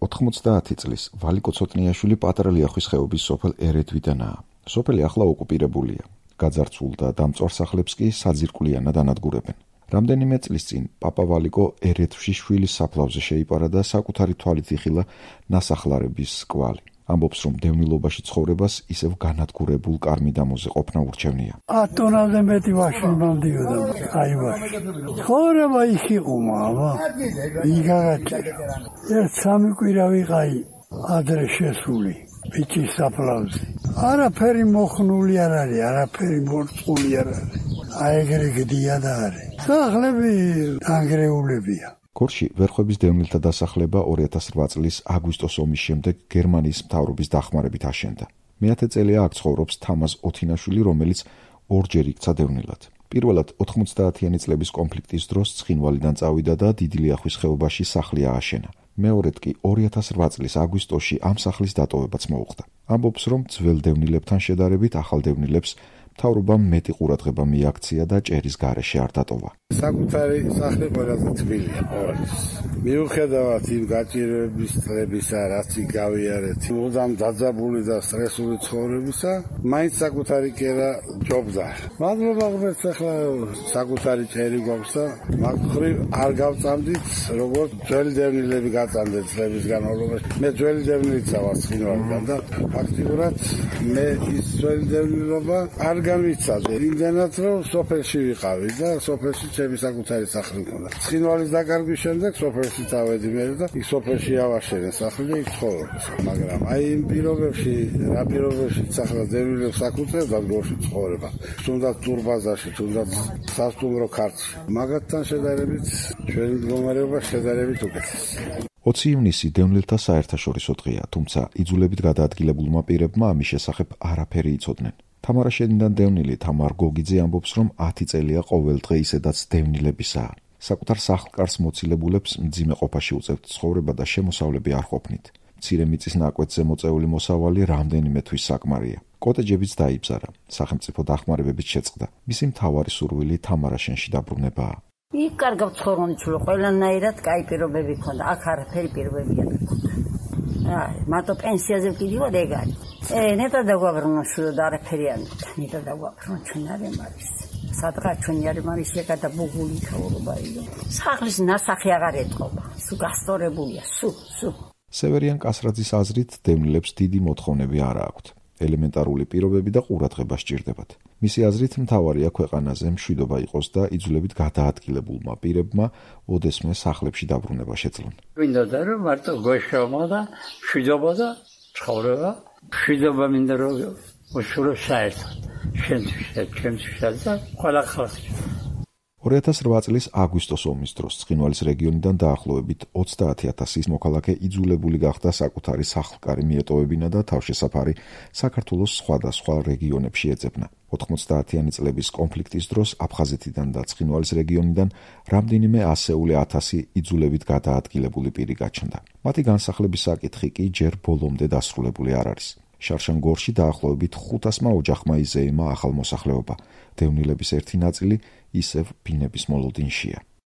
90 წლის ვალიკო ცოტნიაშვილი პატარა ლიახვის ხეობის სოფელ ერედვიდანაა. სოფელი ახლა ოკუპირებულია. გაძარცულ და დამწვარ სახლებს კი საძირკვლიანად ანადგურებენ. რამდენიმე წლის წინ პაპა ვალიკო ერედვში შვილის საფლავზე შეიპარა და საკუთარი თვალით იხილა ნასახლარების კვალი. ამბობს, რომ დევნილობაში ცხოვრებას ისევ განადგურებულ კარ-მიდამოზე ყოფნა ურჩევნია. 10 ტონაზე მეტი ვაში მომდიოდა. აი ვაში. ცხოვრება იქ იყო, მამა. იგაგაჭირა. ერთ 3 კვირა ვიყავი ადრე შესული. ბიჭის საფლავზე. არაფერი მოხნული არ არის, არაფერი მორწყული არ არის. აი ეგრე გდია და არის. სახლები დანგრეულებია. გორში ვერხვების დევნილთა დასახლება 2008 წლის აგვისტოს ომის შემდეგ გერმანიის მთავრობის დახმარებით აშენდა. მეათე წელია აქ ცხოვრობს თამაზ ოთინაშვილი, რომელიც ორჯერ იქცა დევნილად. პირველად 90-იანი წლების კონფლიქტის დროს ცხინვალიდან წავიდა და დიდი ლიახვის ხეობაში სახლი ააშენა. მეორედ კი 2008 წლის აგვისტოში ამ სახლის დატოვებაც მოუხდა. ამბობს, რომ ძველ დევნილებთან შედარებით ახალ დევნილებს მთავრობამ მეტი ყურადღება მიაქცია და ჭერის გარეშე არ დატოვა. საკუთარი სახლი ყველაზე თბილია ყოველთვის. მიუხედავად იმ გაჭირვების წლებისა, რაც გავიარეთ, მუდამ დაძაბული და სტრესული ცხოვრებისა, მაინც საკუთარი კერა ჯობდა. მადლობა ღმერთს, ახლა საკუთარი ჭერი გვაქვს და მაგხრივ არ გავწამდით, როგორც ძველი დევნილები გაწამდეთ წლების განმავლობაში. მე ძველი დევნილიც ვარ ცხინვალიდან და ფაქტიურად მე ის ძველი დევნილობა არ გამიცადე. იმდენად რომ სოფელში ვიყავი და სოფელში ჩემი საკუთარი სახლი მქონდა. ცხინვალის დაკარგვის შემდეგ სოფელში დავედი მე და იქ სოფელში ავაშენე სახლი და იქ ცხოვრობ. მაგრამ აი იმ პირობებში, რა პირობებში ახლა დევნილებს აკუთვნებდა გორში ცხოვრება. თუნდაც ტურბაზაში, თუნდაც სასტუმრო ქართლში. მაგათთან შედარებით ჩვენი მდგომარეობა შედარებით უკეთესია. 20 ივნისი დევნილთა საერთაშორისო დღეა, თუმცა იძულებით გადაადგილებულმა პირებმა ამის შესახებ არაფერი იცოდნენ. თამარაშენიდან დევნილი თამარ გოგიძე ამბობს, რომ 10 წელია ყოველ დღე ისედაც დევნილებისაა. საკუთარ სახლკარს მოცილებულებს მძიმე ყოფაში უწევთ ცხოვრება და შემოსავლები არ ყოფნით. მცირე მიწის ნაკვეთზე მოწეული მოსავალი რამდენიმე თვის საკმარია. კოტეჯებიც დაიბზარა, სახელმწიფო დახმარებებით შეწყდა. მისი მთავარი სურვილი თამარაშენში დაბრუნებაა. იქ კარგავ ცხოვრობ, ყველანაირად კაი პირობები ქონდა. აქ არაფერი პირობები არ ქონდა. მარტო პენსიაზე ვკიდივარ ეგ არის. ნეტა დაგვაბრუნო შვილო და არაფერი არ მქონდა. ნეტა დაგვაბრუნო ჩვენ არ ემარის. სადღაც ჩვენი არ ემარის ეკადა ბუგული ცხოვრობა იყო. სახლის ნასახი აღარ ეთყობა. სუ გასწორებულია, სუ. სევერიან კასრაძის აზრით დევნილებს დიდი მოთხოვნები არ აქვთ. ელემენტარული პირობები და ყურადღება სჭირდებათ. მისი აზრით მთავარია ქვეყანაზე მშვიდობა იყოს და იძულებით გადაადგილებულმა პირებმა ოდესმე სახლებში დაბრუნება შეძლონ. მინდოდა რომ მარტო გოშომა და მშვიდობა და ცხოვრება, მშვიდობა მინდა რომ უშურო საერთოდ. ჩემთვის და ყველა ხალხს. 2008 წლის აგვისტოს ომის დროს ცხინვალის რეგიონიდან დაახლოებით 30,000 მოქალაქე იძულებული გახდა საკუთარი სახლკარი მიეტოვებინა და თავშესაფარი საქართველოს სხვადასხვა რეგიონებში ეძებნა. 90-იანი წლების კონფლიქტის დროს აფხაზეთიდან და ცხინვალის რეგიონიდან რამდენიმე ასეული ათასი იძულებით გადაადგილებული პირი გაჩნდა. მათი განსახლების საკითხი კი ჯერ ბოლომდე დასრულებული არ არის. შარშანგორში დაახლოებით 500-მა ოჯახმა იზეიმა ახალ მოსახლეობა. დევნილების ერთი ნაწილი ისევ ბინების მოლოდინშია.